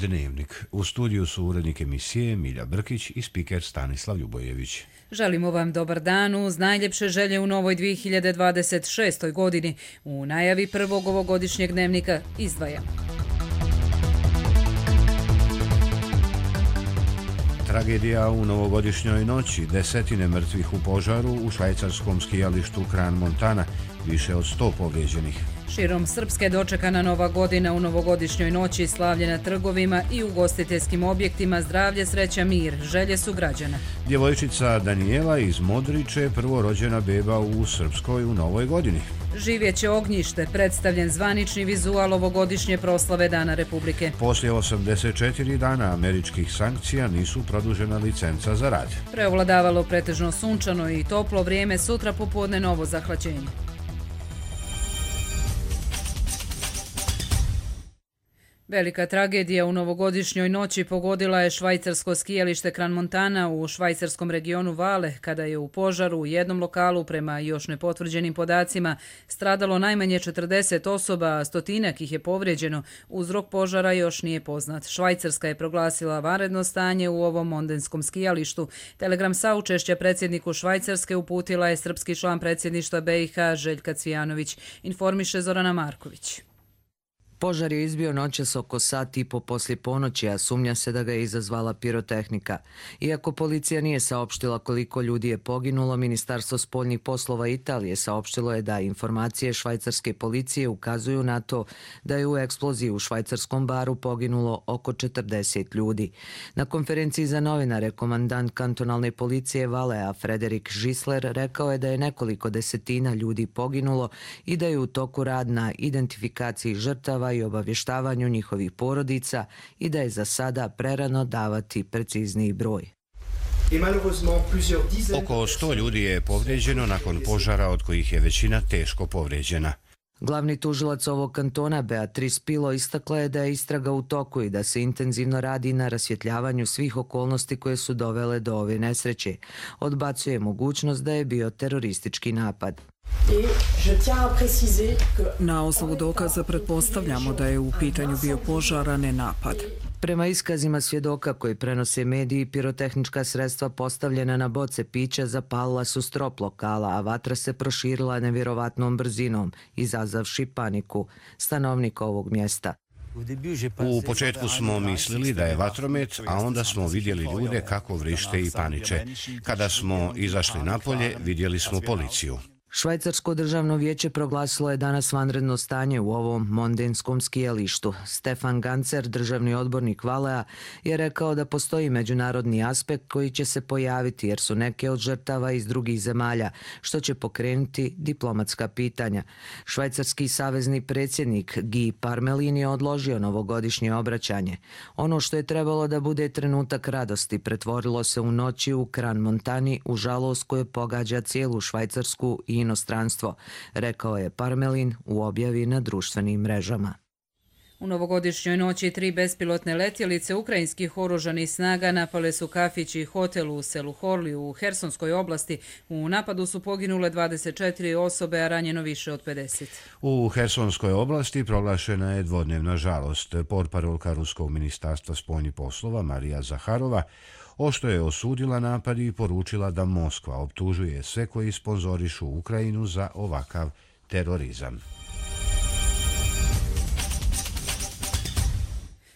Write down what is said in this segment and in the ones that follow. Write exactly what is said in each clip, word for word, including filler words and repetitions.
Dnevnik. U studiju su urednik emisije Milja Brkić i spiker Stanislav Ljubojević. Želimo vam dobar dan uz najljepše želje u novoj dvije hiljade dvadeset šestoj. godini. U najavi prvog ovogodišnjeg dnevnika izdvajamo. Tragedija u novogodišnjoj noći, desetine mrtvih u požaru u švajcarskom skijalištu Crans Montana, više od sto povrijeđenih. Širom Srpske dočekana nova godina u novogodišnjoj noći, slavlje na trgovima i ugostiteljskim objektima, zdravlje, sreća, mir, želje su građana. Djevojčica Danijela iz Modriče, prvorođena beba u Srpskoj u novoj godini. Živjeće ognjište, predstavljen zvanični vizual ovogodišnje proslave Dana Republike. Poslije osamdeset četiri dana američkih sankcija nisu produžena licenca za rad. Preovladavalo pretežno sunčano i toplo vrijeme, sutra popodne novo zahlađenje. Velika tragedija u novogodišnjoj noći pogodila je švajcarsko skijalište Crans Montana u švajcarskom regionu Vale, kada je u požaru u jednom lokalu, prema još nepotvrđenim podacima, stradalo najmanje četrdeset osoba, a stotinak ih je povrijeđeno. Uzrok požara još nije poznat. Švajcarska je proglasila vanredno stanje u ovom mondenskom skijalištu. Telegram saučešća predsjedniku Švajcarske uputila je srpski član predsjedništva B i H Željka Cvijanović, informiše Zorana Marković. Požar je izbio noćas oko sat i po poslije ponoći, a sumnja se da ga je izazvala pirotehnika. Iako policija nije saopštila koliko ljudi je poginulo, Ministarstvo spoljnih poslova Italije saopštilo je da informacije švajcarske policije ukazuju na to da je u eksploziji u švajcarskom baru poginulo oko četrdeset ljudi. Na konferenciji za novinare komandant kantonalne policije Valea Frederik Žisler rekao je da je nekoliko desetina ljudi poginulo i da je u toku rad na identifikaciji žrtava i obavještavanju njihovih porodica i da je za sada prerano davati precizniji broj. Oko sto ljudi je povrijeđeno nakon požara, od kojih je većina teško povrijeđena. Glavni tužilac ovog kantona Beatrice Pilo istakla je da je istraga u toku i da se intenzivno radi na rasvjetljavanju svih okolnosti koje su dovele do ove nesreće. Odbacuje mogućnost da je bio teroristički napad. Na osnovu dokaza pretpostavljamo da je u pitanju bio požar, a ne napad. Prema iskazima svjedoka koji prenose mediji, pirotehnička sredstva postavljena na boce pića zapalila su strop lokala, a vatra se proširila nevjerovatnom brzinom, izazavši paniku stanovnika ovog mjesta. U početku smo mislili da je vatromet, a onda smo vidjeli ljude kako vrište i paniče. Kada smo izašli napolje, vidjeli smo policiju. Švajcarsko državno vijeće proglasilo je danas vanredno stanje u ovom mondenskom skijalištu. Stefan Gancer, državni odbornik Valea, je rekao da postoji međunarodni aspekt koji će se pojaviti jer su neke od žrtava iz drugih zemalja, što će pokrenuti diplomatska pitanja. Švajcarski savezni predsjednik Guy Parmelin je odložio novogodišnje obraćanje. Ono što je trebalo da bude trenutak radosti pretvorilo se u noći u Crans Montani u žalost koje pogađa cijelu Švajcarsku i inostranstvo, rekao je Parmelin u objavi na društvenim mrežama. U novogodišnjoj noći tri bespilotne letjelice ukrajinskih oružanih snaga napale su kafić i hotel u selu Horliju u Hersonskoj oblasti. U napadu su poginule dvadeset četiri osobe, a ranjeno više od pedeset. U Hersonskoj oblasti proglašena je dvodnevna žalost. Portparolka Ruskog ministarstva spoljnih poslova Marija Zaharova ošto je osudila napad i poručila da Moskva optužuje sve koji sponzorišu Ukrajinu za ovakav terorizam.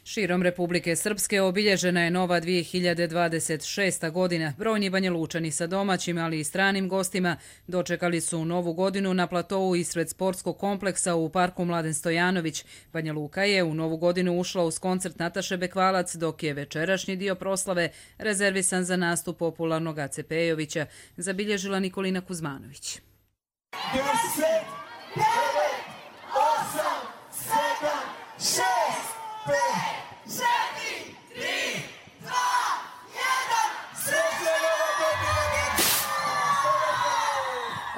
Širom Republike Srpske obilježena je nova dvije hiljade dvadeset šesta. godina. Brojni Banjalučani sa domaćim, ali i stranim gostima dočekali su novu godinu na platovu ispred sportskog kompleksa u parku Mladen Stojanović. Banja Luka je u novu godinu ušla uz koncert Nataše Bekvalac, dok je večerašnji dio proslave rezervisan za nastup popularnog Ace Pejovića, zabilježila Nikolina Kuzmanović. deset, devet, osam, sedam, šest, pet, četiri, tri, dva, jedan, srećna nova godina!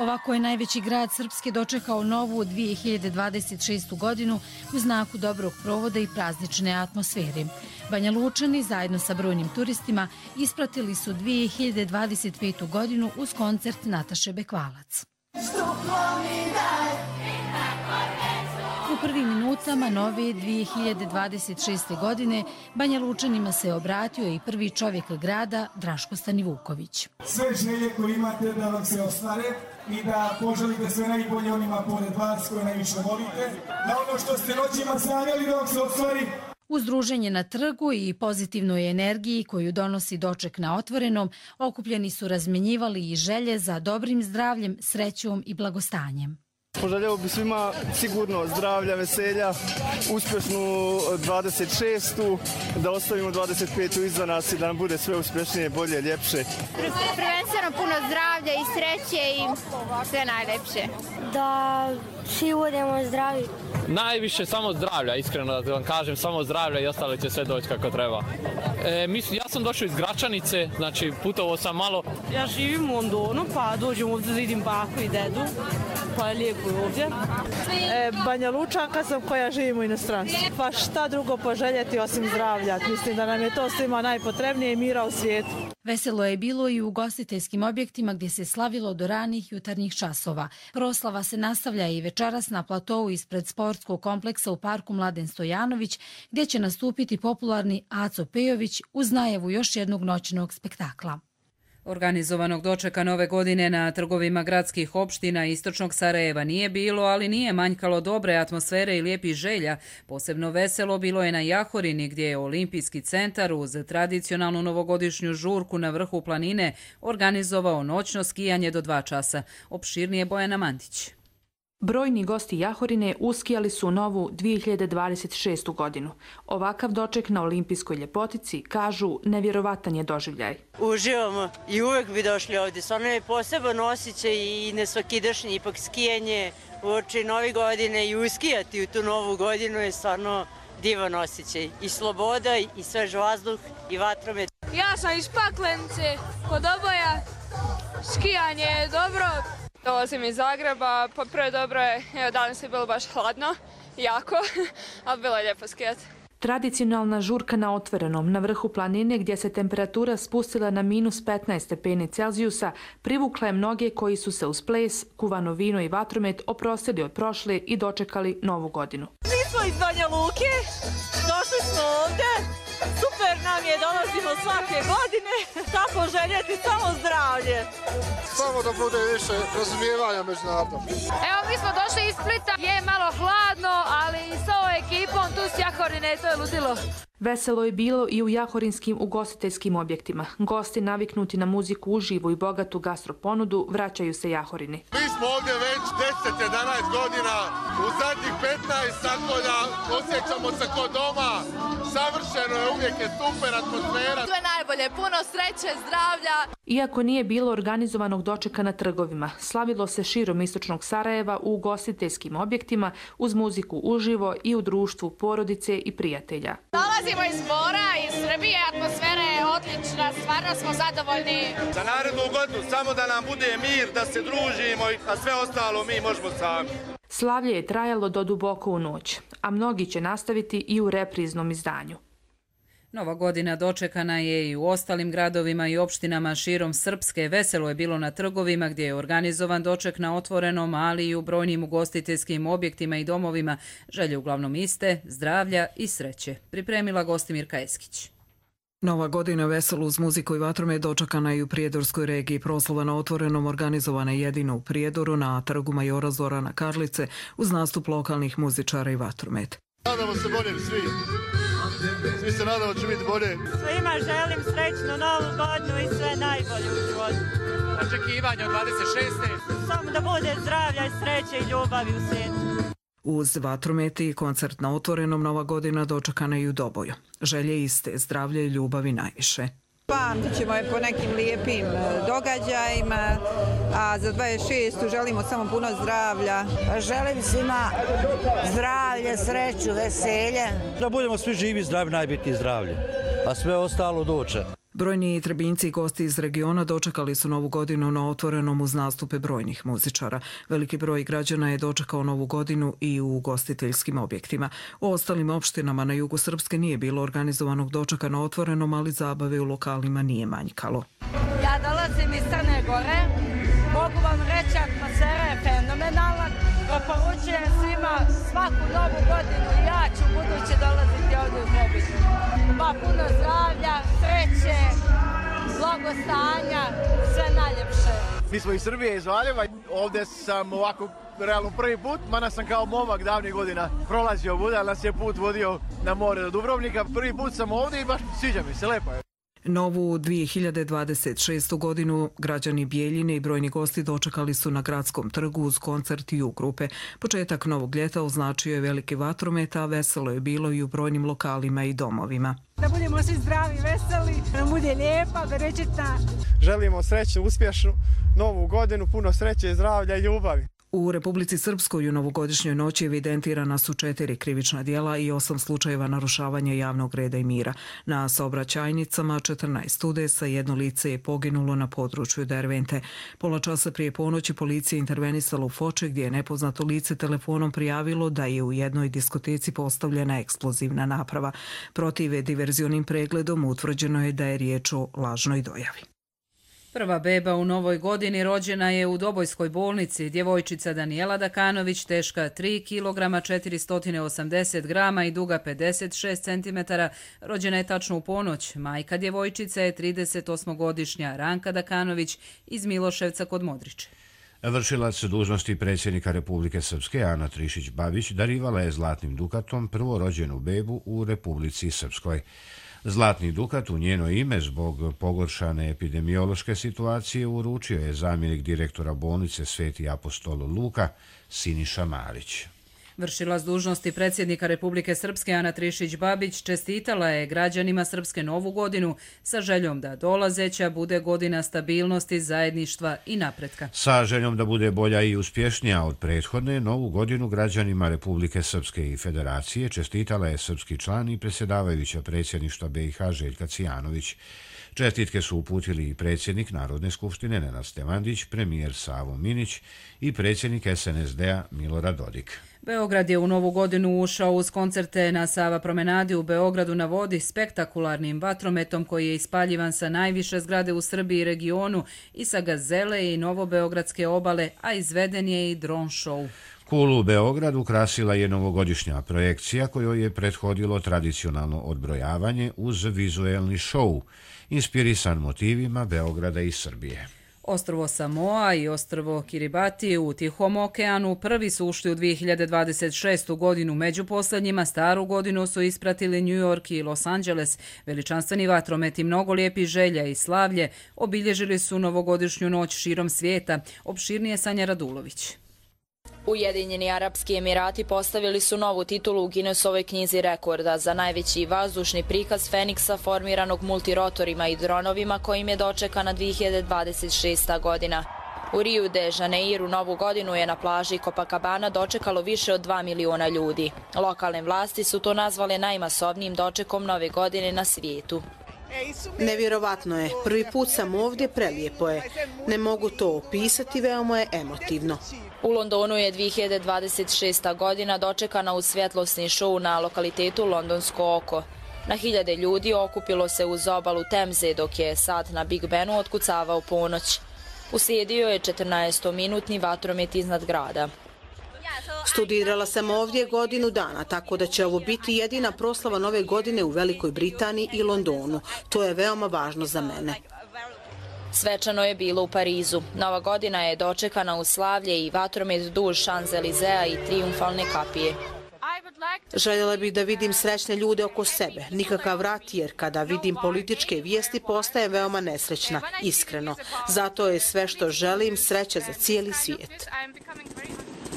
Ovako je najveći grad Srpske dočekao novu dvije hiljade dvadeset šestu. godinu u znaku dobrog provoda i praznične atmosfere. Banja Lučani zajedno sa brojnim turistima ispratili su dvije hiljade dvadeset petu. godinu uz koncert Nataše Bekvalac. U prvim minutama nove dvije hiljade dvadeset šeste. godine Banja Lučanima se obratio i prvi čovjek grada Draško Stanivuković. Sve želje koje imate da vam se ostvare i da poželite sve najbolje onima pored vas koje najviše volite, da ono što ste noćima sanjali da vam se ostvari. Uz druženje na trgu i pozitivnoj energiji koju donosi doček na otvorenom, okupljeni su razmjenjivali i želje za dobrim zdravljem, srećom i blagostanjem. Poželjeo bi svima sigurno zdravlja, veselja, uspješnu dvadeset šestu. Da ostavimo dvadeset petu iza nas i da nam bude sve uspješnije, bolje, ljepše. Prvenstveno puno zdravlja i sreće i sve najlepše. Da svi budemo zdravi. Najviše samo zdravlja, iskreno da vam kažem, samo zdravlja i ostalo će sve doći kako treba. E, mislim, ja sam došao iz Gračanice, znači putovao sam malo. Ja živim u Londonu, pa dođem ovdje da vidim baku i dedu, pa je lijepo ovdje. E, Banja Lučanka sam koja živim u inostranstvu. Pa šta drugo poželjeti osim zdravlja? Mislim da nam je to svima najpotrebnije i mira u svijetu. Veselo je bilo i u ugostiteljskim objektima gdje se slavilo do ranih jutarnjih časova. Proslava se nastavlja i večeras na platou ispred sportskog kompleksa u parku Mladen Stojanović, gdje će nastupiti popularni Aco Pejović uz najavu još jednog noćnog spektakla. Organizovanog dočeka nove godine na trgovima gradskih opština istočnog Sarajeva nije bilo, ali nije manjkalo dobre atmosfere i lijepih želja. Posebno veselo bilo je na Jahorini, gdje je Olimpijski centar uz tradicionalnu novogodišnju žurku na vrhu planine organizovao noćno skijanje do dva časa. Opširnije Bojana Mandić. Brojni gosti Jahorine uskijali su novu dvije hiljade dvadeset šestu. godinu. Ovakav doček na olimpijskoj ljepotici, kažu, nevjerovatan je doživljaj. Uživamo i uvek bi došli ovdje. Stvarno je poseban osjećaj i nesvakidašnji, ipak skijanje uoči nove godine i uskijati u tu novu godinu je stvarno divan osjećaj. I sloboda, i svež vazduh, i vatromet. Ja sam iz Paklenice, kod Oboja. Skijanje je dobro. Dolazim iz Zagreba, pa prvo dobro je, evo danas je bilo baš hladno, jako, ali bilo je lijepo skijati. Tradicionalna žurka na otvorenom na vrhu planine gdje se temperatura spustila na minus petnaest stepeni Celzijusa privukla je mnoge koji su se uz ples, kuvano vino i vatromet oprostili od prošle i dočekali novu godinu. Mi smo iz Banja Luke, došli smo ovdje, super nam je, dolazimo svake godine, tako željeti samo zdravlje. Samo da bude više razumijevanja međunarodno. Evo mi smo došli iz Splita, je malo hladno, ali s ovom ekipom tu s Jahorine to je ludilo. Veselo je bilo i u jahorinskim ugostiteljskim objektima. Gosti naviknuti na muziku uživo i bogatu gastroponudu vraćaju se Jahorini. Mi smo ovdje već deset jedanaest godina, u zadnjih petnaest tako da osjećamo se kod doma. Savršeno je, uvijek je super atmosfera. Sve najbolje, puno sreće, zdravlja. Iako nije bilo organizovanog dočeka na trgovima, slavilo se širom istočnog Sarajeva u ugostiteljskim objektima uz muziku uživo i u društvu porodice i prijatelja. Dolazimo iz mora, iz Srbije, atmosfera je odlična, stvarno smo zadovoljni. Za narednu godinu samo da nam bude mir, da se družimo, a sve ostalo mi možemo sami. Slavlje je trajalo do duboko u noć, a mnogi će nastaviti i u repriznom izdanju. Nova godina dočekana je i u ostalim gradovima i opštinama širom Srpske. Veselo je bilo na trgovima gdje je organizovan doček na otvorenom, ali i u brojnim ugostiteljskim objektima i domovima. Želje uglavnom iste, zdravlja i sreće. Pripremila Gostimirka Eskić. Nova godina veselo uz muziku i vatromet dočekana i u Prijedorskoj regiji. Proslava na otvorenom organizovana jedino u Prijedoru na trgu Majora Zorana Karlice uz nastup lokalnih muzičara i vatromet. Nadamo se bolje svi. Svi se nadamo da će biti bolje. Svima želim srećnu novu godinu i sve najbolje u životu. Očekivanje od dvadeset šeste. Samo da bude zdravlja i sreće i ljubavi u svijetu. Uz vatrometi i koncert na otvorenom nova godina dočekana i u Doboju. Želje iste, zdravlje i ljubavi najviše. Pamtit ćemo je po nekim lijepim događajima, a za dvadeset šestu želimo samo puno zdravlja. Želim svima zdravlje, sreću, veselje. Da budemo svi živi, zdravi, najbitnije zdravlje, a sve ostalo doće. Brojni Trebinjci i gosti iz regiona dočekali su novu godinu na otvorenom uz nastupe brojnih muzičara. Veliki broj građana je dočekao novu godinu i u ugostiteljskim objektima. U ostalim opštinama na jugu Srpske nije bilo organizovanog dočeka na otvorenom, ali zabave u lokalima nije manjkalo. Ja dolazim iz Crne Gore, Mogu vam reći, atmosfera je fenomenalna. Preporučujem svima svaku novu godinu i ja ću buduće dolaziti ovdje u Trebinju. Pa puno zdravlja, sreće, blagostanja, sve najljepše. Mi smo iz Srbije, iz Valjeva. Ovdje sam ovako realno prvi put, mada sam kao momak davnih godina prolazio ovuda, ali nas je put vodio na more do Dubrovnika. Prvi put sam ovdje i baš sviđa mi se, lepo je. Novu dvije hiljade dvadeset šestu godinu građani Bijeljine i brojni gosti dočekali su na Gradskom trgu uz koncert U grupe. Početak novog ljeta označio je veliki vatromet, a veselo je bilo i u brojnim lokalima i domovima. Da budemo svi zdravi, veseli, da bude lijepa, berećetna. Želimo sreću, uspješnu novu godinu, puno sreće, zdravlja i ljubavi. U Republici Srpskoj u novogodišnjoj noći evidentirana su četiri krivična djela i osam slučajeva narušavanja javnog reda i mira. Na saobraćajnicama četrnaest udesa, jedno lice je poginulo na području Dervente. Pola časa prije ponoći policija intervenisala u Foče gdje je nepoznato lice telefonom prijavilo da je u jednoj diskoteci postavljena eksplozivna naprava. Protiv diverzionim pregledom utvrđeno je da je riječ o lažnoj dojavi. Prva beba u novoj godini rođena je u Dobojskoj bolnici. Djevojčica Danijela Dakanović, teška tri kilograma četiristo osamdeset grama i duga pedeset šest centimetara, rođena je tačno u ponoć. Majka djevojčice je tridesetosmogodišnja Ranka Dakanović iz Miloševca kod Modriče. Vršilac dužnosti predsjednika Republike Srpske Ana Trišić-Babić darivala je zlatnim dukatom prvorođenu bebu u Republici Srpskoj. Zlatni dukat u njeno ime zbog pogoršane epidemiološke situacije uručio je zamjenik direktora bolnice Sveti apostol Luka Siniša Marić. Vršilac dužnosti predsjednika Republike Srpske Ana Trišić-Babić čestitala je građanima Srpske novu godinu sa željom da dolazeća bude godina stabilnosti, zajedništva i napretka. Sa željom da bude bolja i uspješnija od prethodne, novu godinu građanima Republike Srpske i Federacije čestitala je srpski član i predsjedavajuća predsjedništva B i H Željka Cijanović. Čestitke su uputili i predsjednik Narodne skupštine Nenad Stevandić, premijer Savo Minić i predsjednik S N S D-a Milorad Dodik. Beograd je u novu godinu ušao uz koncerte na Sava promenadi u Beogradu na vodi spektakularnim vatrometom koji je ispaljivan sa najviše zgrade u Srbiji i regionu i sa Gazele i Novobeogradske obale, a izveden je i dron show. Kulu u Beogradu ukrasila je novogodišnja projekcija kojoj je prethodilo tradicionalno odbrojavanje uz vizuelni show, inspirisan motivima Beograda i Srbije. Ostrvo Samoa i ostrvo Kiribati u Tihom okeanu prvi su ušli u dvije hiljade dvadeset šestu godinu. Među posljednjima staru godinu su ispratili New York i Los Angeles. Veličanstveni vatromet i mnogo lijepih želja i slavlje obilježili su novogodišnju noć širom svijeta. Opširnije Sanja Radulović. Ujedinjeni Arapski Emirati postavili su novu titulu u Guinnessovoj knjizi rekorda za najveći vazdušni prikaz Feniksa formiranog multirotorima i dronovima kojim je dočekana dvije hiljade dvadeset šesta godina. U Rio de Janeiru novu godinu je na plaži Copacabana dočekalo više od dva miliona ljudi. Lokalne vlasti su to nazvale najmasovnijim dočekom nove godine na svijetu. Nevjerovatno je. Prvi put sam ovdje, prelijepo je. Ne mogu to opisati, veoma je emotivno. U Londonu je dvije hiljade dvadeset šesta godina dočekana uz svjetlosni šou na lokalitetu Londonsko oko. Na hiljade ljudi okupilo se uz obalu Temze dok je sat na Big Benu otkucavao ponoć. Uslijedio je četrnaestominutni vatromet iznad grada. Studirala sam ovdje godinu dana, tako da će ovo biti jedina proslava nove godine u Velikoj Britaniji i Londonu. To je veoma važno za mene. Svečano je bilo u Parizu. Nova godina je dočekana u slavlje i vatromet duž Champs-Élysées i trijumfalne kapije. Željela bih da vidim srećne ljude oko sebe, nikakav rat, jer kada vidim političke vijesti postaje veoma nesrećna, iskreno. Zato je sve što želim sreća za cijeli svijet.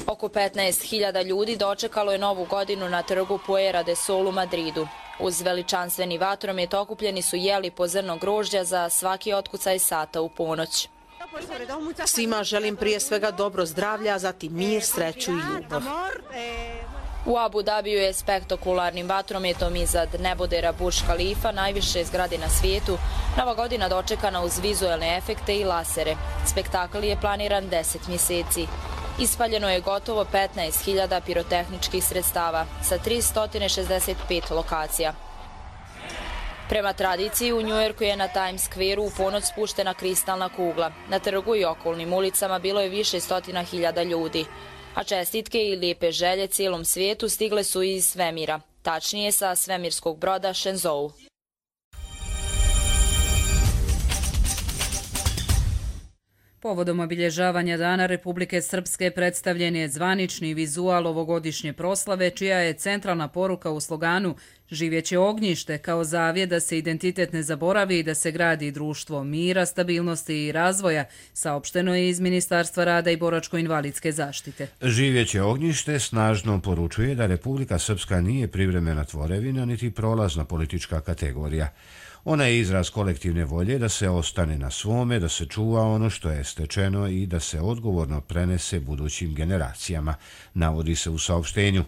Oko petnaest hiljada ljudi dočekalo je novu godinu na trgu Puera de Sol u Madridu. Uz veličanstveni vatromet okupljeni su jeli po zrno grožđa za svaki otkucaj sata u ponoć. Svima želim prije svega dobro zdravlja, a zatim mir, sreću i ljubav. U Abu Dabiju je spektakularnim vatrometom iznad nebodera Burj Khalifa, najviše zgrade na svijetu, nova godina dočekana uz vizuelne efekte i lasere. Spektakl je planiran deset mjeseci. Ispaljeno je gotovo petnaest hiljada pirotehničkih sredstava sa tristo šezdeset pet lokacija. Prema tradiciji, u Njujorku je na Times Square-u u ponoć spuštena kristalna kugla. Na trgu i okolnim ulicama bilo je više stotina hiljada ljudi. A čestitke i lijepe želje cijelom svijetu stigle su iz svemira, tačnije sa svemirskog broda Shenzhou. Povodom obilježavanja Dana Republike Srpske predstavljen je zvanični vizual ovogodišnje proslave, čija je centralna poruka u sloganu "Živjeće ognjište" kao zavjet da se identitet ne zaboravi i da se gradi društvo mira, stabilnosti i razvoja, saopšteno je iz Ministarstva rada i boračko-invalidske zaštite. Živjeće ognjište snažno poručuje da Republika Srpska nije privremena tvorevina niti prolazna politička kategorija. Ona je izraz kolektivne volje da se ostane na svome, da se čuva ono što je stečeno i da se odgovorno prenese budućim generacijama, navodi se u saopštenju.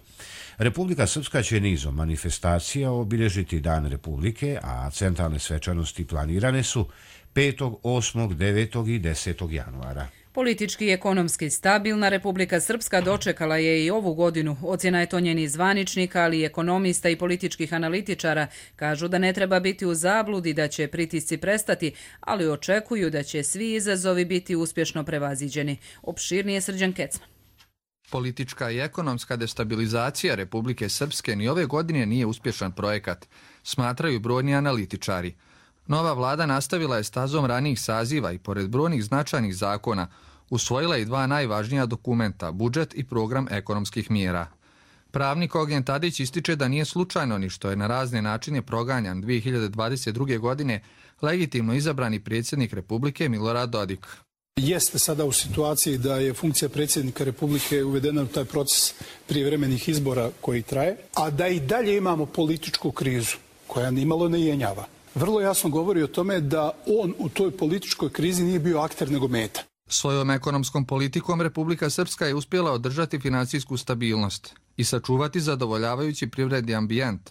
Republika Srpska će nizom manifestacija obilježiti Dan Republike, a centralne svečanosti planirane su petog, osmog, devetog i desetog januara. Politički i ekonomski stabilna Republika Srpska dočekala je i ovu godinu. Ocjena je to njenih zvaničnika, ali i ekonomista i političkih analitičara. Kažu da ne treba biti u zabludi, da će pritisci prestati, ali očekuju da će svi izazovi biti uspješno prevaziđeni. Opširnije Srđan Kecman. Politička i ekonomska destabilizacija Republike Srpske ni ove godine nije uspješan projekat, smatraju brojni analitičari. Nova vlada nastavila je stazom ranijih saziva i pored brojnih značajnih zakona usvojila i dva najvažnija dokumenta, budžet i program ekonomskih mjera. Pravnik Ognjen Tadić ističe da nije slučajno ni što je na razne načine proganjan dvije hiljade dvadeset druge. godine legitimno izabrani predsjednik Republike Milorad Dodik. Jeste sada u situaciji da je funkcija predsjednika Republike uvedena u taj proces prijevremenih izbora koji traje, a da i dalje imamo političku krizu koja nimalo ne jenjava. Vrlo jasno govori o tome da on u toj političkoj krizi nije bio akter nego meta. Svojom ekonomskom politikom Republika Srpska je uspjela održati financijsku stabilnost i sačuvati zadovoljavajući privredni ambijent,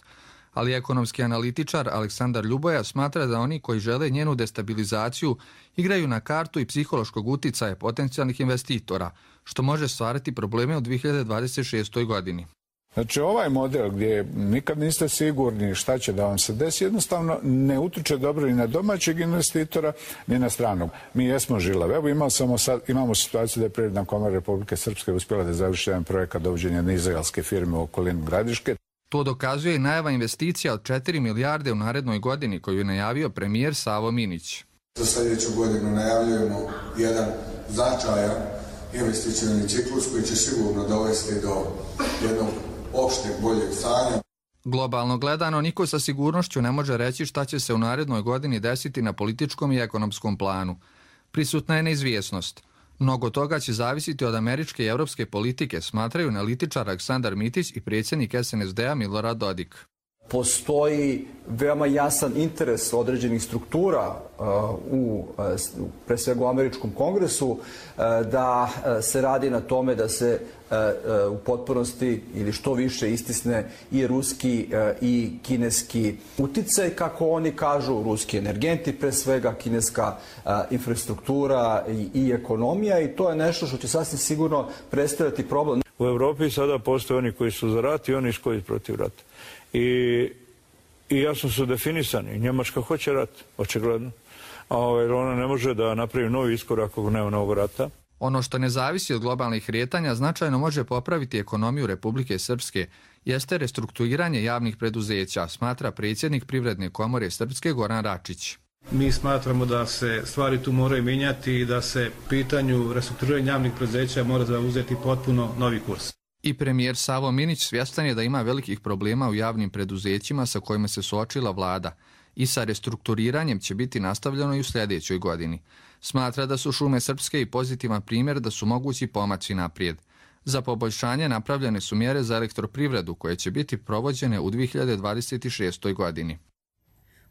ali ekonomski analitičar Aleksandar Ljuboja smatra da oni koji žele njenu destabilizaciju igraju na kartu i psihološkog uticaja potencijalnih investitora, što može stvarati probleme u dvije hiljade dvadeset šestoj. godini. Znači ovaj model gdje nikad niste sigurni šta će da vam se desi, jednostavno ne utiče dobro ni na domaćeg investitora, ni na stranog. Mi jesmo žilavi. Evo imamo, samo sad, imamo situaciju da je Privredna komora Republike Srpske uspjela da završi jedan projekat dovođenja na izraelske firme u okolinu Gradiške. To dokazuje i najava investicija od četiri milijarde u narednoj godini koju je najavio premijer Savo Minić. Za sljedeću godinu najavljujemo jedan značajan investicioni ciklus koji će sigurno dovesti do jednog opšteg boljeg stanja. Globalno gledano, niko sa sigurnošću ne može reći šta će se u narednoj godini desiti na političkom i ekonomskom planu. Prisutna je neizvjesnost. Mnogo toga će zavisiti od američke i europske politike, smatraju analitičar Aleksandar Mitić i predsjednik S N S D-a Milorad Dodik. Postoji veoma jasan interes određenih struktura uh, u, uh, pre svega u američkom kongresu uh, da uh, se radi na tome da se uh, uh, u potpunosti ili što više istisne i ruski uh, i kineski uticaj, kako oni kažu, ruski energenti pre svega, kineska uh, infrastruktura i, i ekonomija, i to je nešto što će sasvim sigurno predstavljati problem. U Evropi sada postoje oni koji su za rat i oni koji su protiv rata. I, i jasno su definisani. Njemačka hoće rat, očigledno. A ovaj, ona ne može da napravi novi iskorak ako nema novog rata. Ono što ne zavisi od globalnih kretanja značajno može popraviti ekonomiju Republike Srpske jeste restrukturiranje javnih preduzeća, smatra predsjednik Privredne komore Srpske Goran Račić. Mi smatramo da se stvari tu moraju mijenjati i da se pitanju restrukturiranja javnih preduzeća mora zauzeti potpuno novi kurs. I premijer Savo Minić svjestan je da ima velikih problema u javnim preduzećima sa kojima se suočila vlada i sa restrukturiranjem će biti nastavljeno i u sljedećoj godini. Smatra da su Šume Srpske i pozitivan primjer da su mogući pomaci naprijed. Za poboljšanje napravljene su mjere za elektroprivredu koje će biti provođene u dvije hiljade dvadeset šestoj. godini.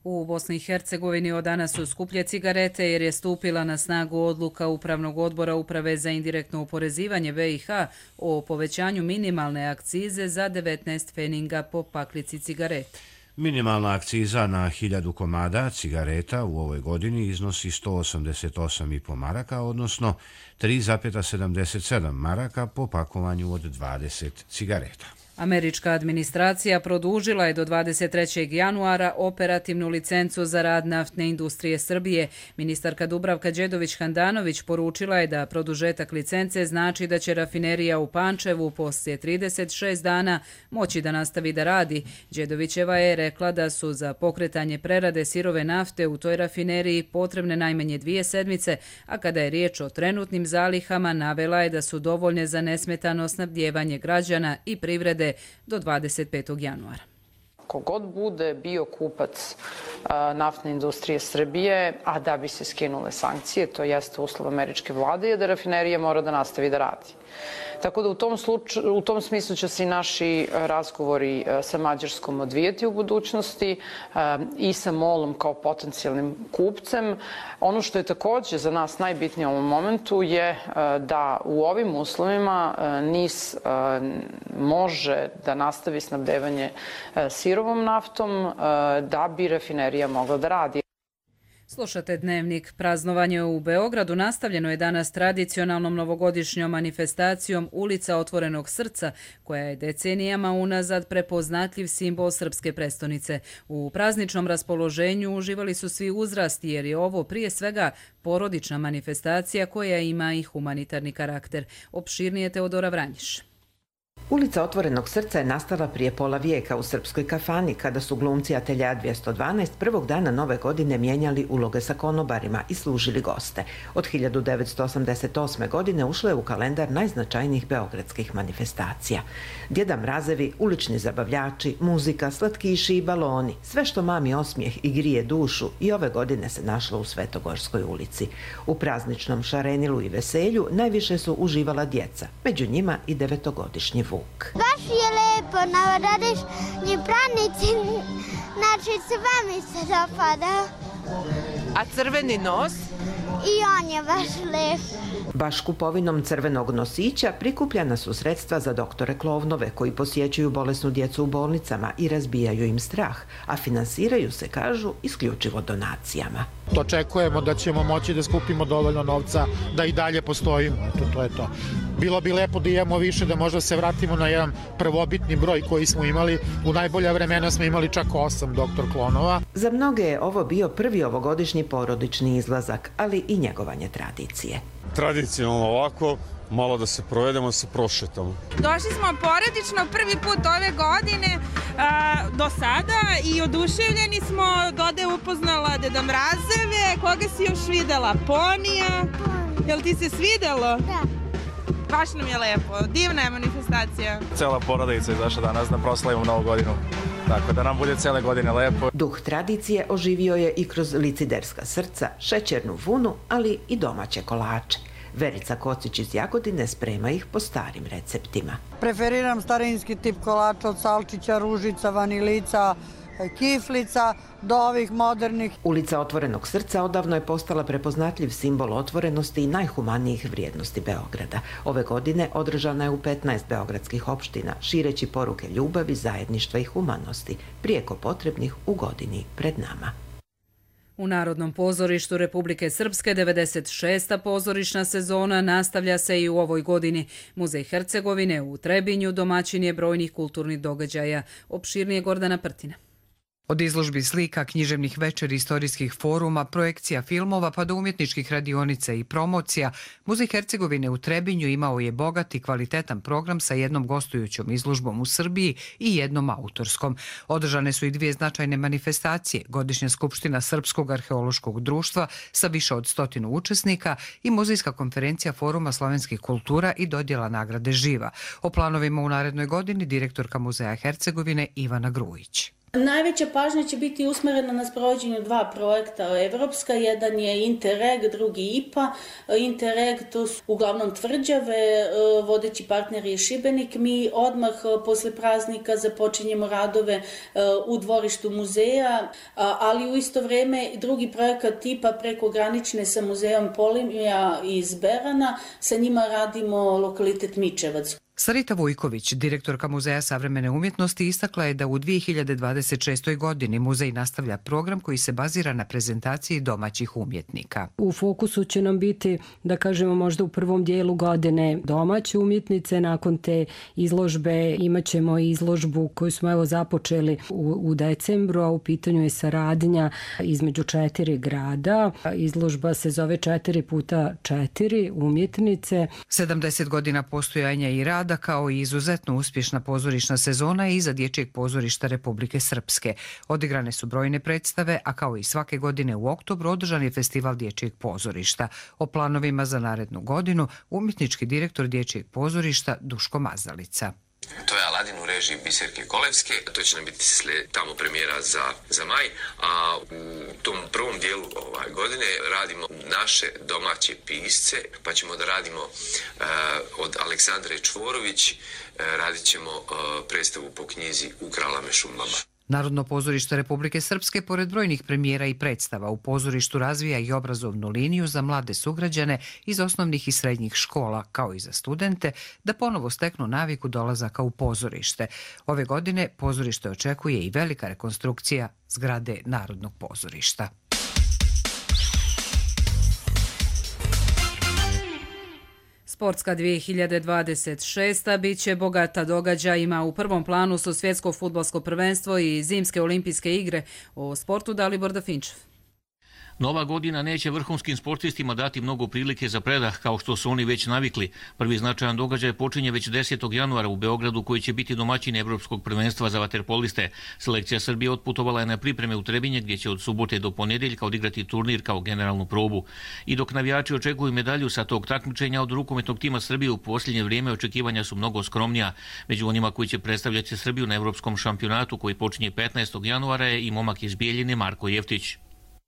U Bosni i Hercegovini od danas su skuplje cigarete jer je stupila na snagu odluka Upravnog odbora Uprave za indirektno oporezivanje B i H o povećanju minimalne akcize za devetnaest pfeninga po paklici cigareta. Minimalna akciza na hiljadu komada cigareta u ovoj godini iznosi sto osamdeset osam zarez pet maraka, odnosno tri zarez sedamdeset sedam maraka po pakovanju od dvadeset cigareta. Američka administracija produžila je do dvadeset trećeg januara operativnu licencu za rad naftne industrije Srbije. Ministarka Dubravka Đedović-Handanović poručila je da produžetak licence znači da će rafinerija u Pančevu poslije trideset šest dana moći da nastavi da radi. Đedovićeva je rekla da su za pokretanje prerade sirove nafte u toj rafineriji potrebne najmanje dvije sedmice, a kada je riječ o trenutnim zalihama, navela je da su dovoljne za nesmetano snabdijevanje građana i privrede do dvadeset petog januara. Kogod bude bio kupac naftne industrije Srbije, a da bi se skinule sankcije, to jeste uslov američke vlade, je da rafinerija mora da nastavi da radi. Tako da u tom, slučaju, u tom smislu će se i naši razgovori sa Mađarskom odvijeti u budućnosti i sa MOL-om kao potencijalnim kupcem. Ono što je također za nas najbitnije u ovom momentu je da u ovim uslovima N I S može da nastavi snabdevanje sirovom naftom da bi rafinerija mogla da radi. Slušate Dnevnik. Praznovanje u Beogradu nastavljeno je danas tradicionalnom novogodišnjom manifestacijom Ulica otvorenog srca, koja je decenijama unazad prepoznatljiv simbol srpske prestonice. U prazničnom raspoloženju uživali su svi uzrasti, jer je ovo prije svega porodična manifestacija koja ima i humanitarni karakter. Opširnije Teodora Vranjiš. Ulica otvorenog srca je nastala prije pola vijeka u srpskoj kafani, kada su glumci Atelja dvjesto dvanaest prvog dana nove godine mijenjali uloge sa konobarima i služili goste. Od hiljadu devetsto osamdeset osme. godine ušlo je u kalendar najznačajnijih beogradskih manifestacija. Djeda mrazevi, ulični zabavljači, muzika, slatkiši i baloni, sve što mami osmijeh i grije dušu, i ove godine se našlo u Svetogorskoj ulici. U prazničnom šarenilu i veselju najviše su uživala djeca, među njima i devetogodišnji Vuk. Baš je lepo, navradiš njih pranici, znači sve mi se dopada. A crveni nos? I on je baš lep. Baš kupovinom crvenog nosića prikupljana su sredstva za doktore Klovnove, koji posjećuju bolesnu djecu u bolnicama i razbijaju im strah, a finansiraju se, kažu, isključivo donacijama. Očekujemo da ćemo moći da skupimo dovoljno novca da i dalje postojimo. Eto, to je to. Bilo bi lepo da imamo više, da možda se vratimo na jedan prvobitni broj koji smo imali. U najbolja vremena smo imali čak osam doktor Klonova. Za mnoge je ovo bio prvi ovogodišnji porodični izlazak, ali i njegovanje tradicije. Tradicionalno ovako, malo da se provedemo, se prošetamo. Došli smo porodično prvi put ove godine a, do sada i oduševljeni smo. Doda je upoznala Deda Mrazeve. Koga si još videla? Ponija? Jel ti se svidelo? Da. Baš nam je lepo. Divna je manifestacija. Cela porodica je izašla danas da proslavimo Novu godinu. Tako da nam bude cele godine lepo. Duh tradicije oživio je i kroz liciderska srca, šećernu vunu, ali i domaće kolače. Verica Kocić iz Jagodine sprema ih po starim receptima. Preferiram starinski tip kolača od salčića, ružica, vanilica, kiflica do ovih modernih. Ulica otvorenog srca odavno je postala prepoznatljiv simbol otvorenosti i najhumanijih vrijednosti Beograda. Ove godine održana je u petnaest beogradskih opština, šireći poruke ljubavi, zajedništva i humanosti, prijeko potrebnih u godini pred nama. U Narodnom pozorištu Republike Srpske devedeset šesta pozorišna sezona nastavlja se i u ovoj godini. Muzej Hercegovine u Trebinju domaćin je brojnih kulturnih događaja. Opširnije Gordana Prtina. Od izložbi slika, književnih večeri, istorijskih foruma, projekcija filmova pa do umjetničkih radionica i promocija, Muzej Hercegovine u Trebinju imao je bogat i kvalitetan program sa jednom gostujućom izložbom u Srbiji i jednom autorskom. Održane su i dvije značajne manifestacije, godišnja skupština Srpskog arheološkog društva sa više od stotinu učesnika i muzejska konferencija Foruma slovenskih kultura i dodjela nagrade Živa. O planovima u narednoj godini direktorka Muzeja Hercegovine Ivana Grujić. Najveća pažnja će biti usmjerena na sprovođenju dva projekta evropska. Jedan je Interreg, drugi I P A. Interreg to su uglavnom tvrđave, vodeći partner je Šibenik. Mi odmah posle praznika započinjemo radove u dvorištu muzeja, ali u isto vrijeme drugi projekat I P A prekogranične sa muzejom Polimija iz Berana. Sa njima radimo lokalitet Mičevac. Sarita Vujković, direktorka Muzeja savremene umjetnosti, istakla je da u dvije hiljade dvadeset šestoj. godini muzej nastavlja program koji se bazira na prezentaciji domaćih umjetnika. U fokusu će nam biti, da kažemo, možda u prvom dijelu godine domaće umjetnice. Nakon te izložbe imat ćemo izložbu koju smo evo započeli u, u decembru, a u pitanju je saradnja između četiri grada. Izložba se zove četiri puta četiri umjetnice. sedamdeset godina postojanja i rada kao i izuzetno uspješna pozorišna sezona je iza Dječjeg pozorišta Republike Srpske. Odigrane su brojne predstave, a kao i svake godine u oktobru održan je festival Dječjeg pozorišta. O planovima za narednu godinu umjetnički direktor Dječjeg pozorišta Duško Mazalica. To je Aladin u režiji Biserke Kolevske, to će nam biti sled, tamo premijera za, za maj, a u tom prvom dijelu ovaj godine radimo naše domaće pisce, pa ćemo da radimo uh, od Aleksandre Čvorović, uh, radit ćemo uh, predstavu po knjizi U kralame šumama. Narodno pozorište Republike Srpske, pored brojnih premijera i predstava, u pozorištu razvija i obrazovnu liniju za mlade sugrađane iz osnovnih i srednjih škola, kao i za studente, da ponovo steknu naviku dolazaka u pozorište. Ove godine pozorište očekuje i velika rekonstrukcija zgrade Narodnog pozorišta. Sportska dvije hiljade dvadeset šesta biće bogata događajima. U prvom planu su svjetsko fudbalsko prvenstvo i zimske olimpijske igre. O sportu Dalibor Dafinčev. Nova godina neće vrhunskim sportistima dati mnogo prilike za predah kao što su oni već navikli. Prvi značajan događaj počinje već desetog januara u Beogradu, koji će biti domaćin Evropskog prvenstva za vaterpoliste. Selekcija Srbije otputovala je na pripreme u Trebinje, gdje će od subote do ponedjeljka odigrati turnir kao generalnu probu. I dok navijači očekuju medalju sa tog takmičenja, od rukometnog tima Srbije u posljednje vrijeme očekivanja su mnogo skromnija. Među onima koji će predstavljati Srbiju na Evropskom šampionatu koji počinje petnaestog januara je i momak iz Bijeljine Marko Jeftić.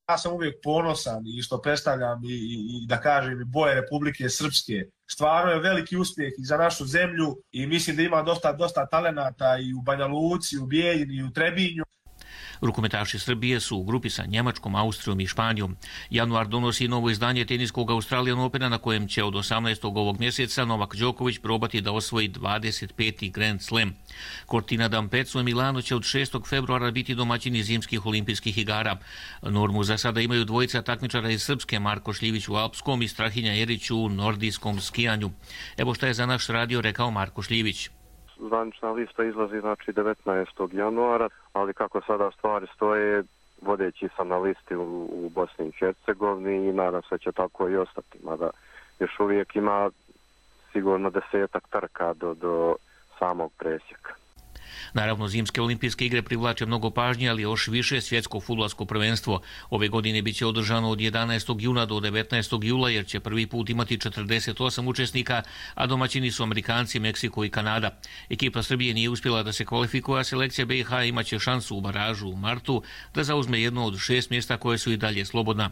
Ja sam uvijek ponosan i što predstavljam i, i, i da kažem i boje Republike Srpske. Stvarno je veliki uspjeh i za našu zemlju i mislim da ima dosta, dosta talenata i u Banja Luci, u Bijeljini i u Trebinju. Rukometaši Srbije su u grupi sa Njemačkom, Austrijom i Španijom. Januar donosi novo izdanje teniskog Australian Opena, na kojem će od osamnaestog ovog mjeseca Novak Đoković probati da osvoji dvadeset peti Grand Slam. Cortina d'Ampezzo i Milano će od šestog februara biti domaćini zimskih olimpijskih igara. Normu za sada imaju dvojica takmičara iz Srpske, Marko Šljivić u alpskom i Strahinja Jerić u nordijskom skijanju. Evo šta je za naš radio rekao Marko Šljivić. Zvanična lista izlazi znači devetnaestog januara, ali kako sada stvari stoje, vodeći sam na listi u, u Bosni i Hercegovini i nadam se će tako i ostati, mada još uvijek ima sigurno desetak trka do, do samog presjeka. Naravno, zimske olimpijske igre privlače mnogo pažnje, ali još više svjetsko fudbalsko prvenstvo. Ove godine biće održano od jedanaestog juna do devetnaestog jula, jer će prvi put imati četrdeset osam učesnika, a domaćini su Amerikanci, Meksiko i Kanada. Ekipa Srbije nije uspjela da se kvalifikuje, a selekcija B i H imaće šansu u baražu u martu da zauzme jedno od šest mjesta koje su i dalje slobodna.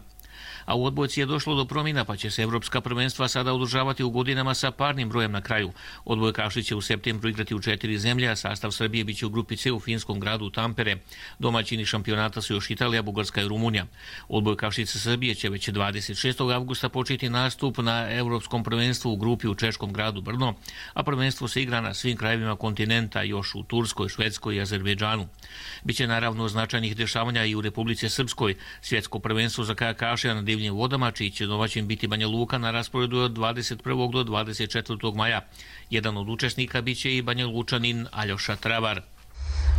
A u odbojci je došlo do promjena, pa će se evropska prvenstva sada održavati u godinama sa parnim brojem na kraju. Odbojkaši će u septembru igrati u četiri zemlje, a sastav Srbije biće u grupi C u finskom gradu Tampere. Domaćini šampionata su još Italija, Bugarska i Rumunija. Odbojkašice Srbije će već dvadeset šestog avgusta početi nastup na evropskom prvenstvu u grupi u češkom gradu Brno, a prvenstvo se igra na svim krajevima kontinenta, još u Turskoj, Švedskoj i Azerbejdžanu. Biće naravno značajnih dešavanja i u Republici Srpskoj. Svjetsko prvenstvo za kajakaše na divljim vodama, čiji će domaćin biti Banja Luka, na rasporedu od dvadeset prvog do dvadeset četvrtog maja. Jedan od učesnika biće i Banja Lučanin Aljoša Travar.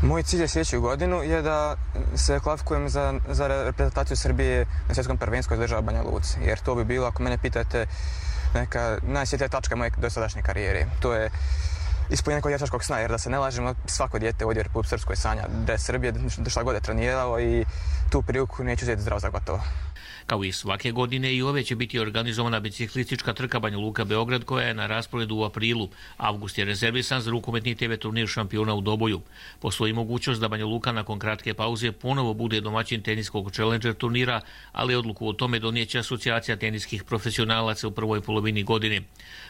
Moj cilj je sljedeću godinu je da se kvalifikujem za, za reprezentaciju Srbije na svjetskom prvenstvu iz država Banja Luci, jer to bi bilo, ako mene pitate, neka najsvjetlija tačka moje dosadašnje karijere. To je ispunjenje nekog dječačkog sna, jer da se ne lažemo, svako dijete ovdje u Republike Srpskoj sanja da je Srbije, da šta god je trenirao i tu priliku neću uzeti zdravo za gotovo. Kao i svake godine, i ove će biti organizovana biciklistička trka Banja Luka-Beograd, koja je na rasporedu u aprilu. Avgust je rezervisan za rukometni T V turnir šampiona u Doboju. Postoji mogućnost da Banja Luka nakon kratke pauze ponovo bude domaćin teniskog Challenger turnira, ali odluku o tome donijeće asocijacija teniskih profesionalaca u prvoj polovini godine.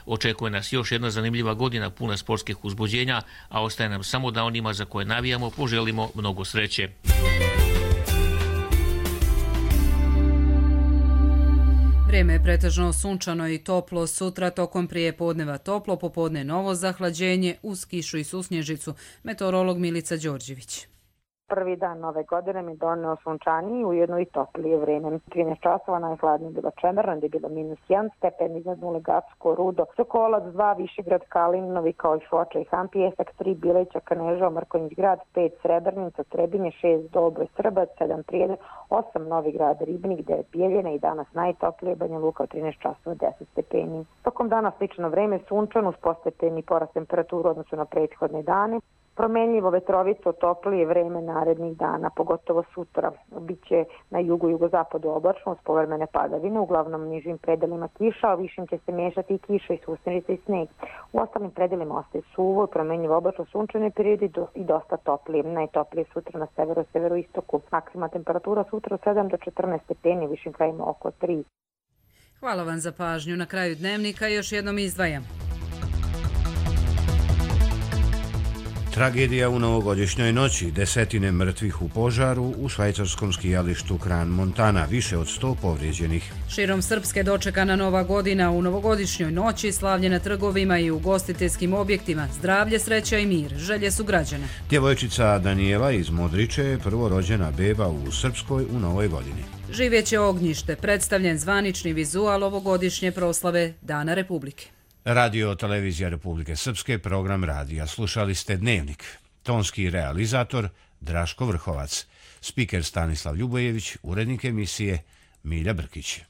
Očekuje nas još jedna zanimljiva godina puna sportskih uzbuđenja, a ostaje nam samo da onima za koje navijamo poželimo mnogo sreće. Vrijeme je pretežno sunčano i toplo, sutra tokom prijepodneva toplo, popodne novo zahlađenje uz kišu i susnježicu. Meteorolog Milica Đorđević. Prvi dan nove godine mi doneo sunčaniji, ujedno i toplije vreme. trinaest časova najhladnije bilo Čemerno, gdje je bilo minus jedan stepen, iznad nule Gacko, Rudo, Sokolac dva, Višegrad, Kalin, Novi kao i Foča i Han, Pijesak tri, Bileća, Kaneža, Mrkonjić grad, pet, Srebrnica, Trebinje, šest, Dobro, Srbac, sedam, Prijedor, osam, Novi grad, Ribnik, devet, Bijeljina i danas najtoplije Banja Luka od trinaest časova, deset stepeni. Tokom dana slično vreme, sunčano uz postepeni porast temperaturu odnosu na prethodne dane. Promenljivo vetrovico, toplije vreme narednih dana, pogotovo sutra. Biće na jugu i jugozapadu oblačno, uz povremene padavine, uglavnom nižim predelima kiša, a višim će se miješati i kiša i susnježica i sneg. U ostalim predelima ostaje suvo i promenljivo oblačno sunčane periodi i dosta toplije. Najtoplije sutra na severu, severoistoku. Maksimalna temperatura sutra od sedam do četrnaest stepeni, višim krajima oko tri. Hvala vam za pažnju. Na kraju dnevnika još jednom izdvajam. Tragedija u novogodišnjoj noći, desetine mrtvih u požaru u švajcarskom skijalištu Kran Montana, više od sto povrijeđenih. Širom Srpske dočekana nova godina u novogodišnjoj noći, slavlje na trgovima i ugostiteljskim objektima, zdravlje, sreća i mir, želje su građana. Djevojčica Danijela iz Modriče je prvorođena beba u Srpskoj u novoj godini. Živjeće ognjište, predstavljen zvanični vizual ovogodišnje proslave Dana Republike. Radio Televizija Republike Srpske, program radija. Slušali ste Dnevnik. Tonski realizator Draško Vrhovac. Spiker Stanislav Ljubojević, urednik emisije Milja Brkić.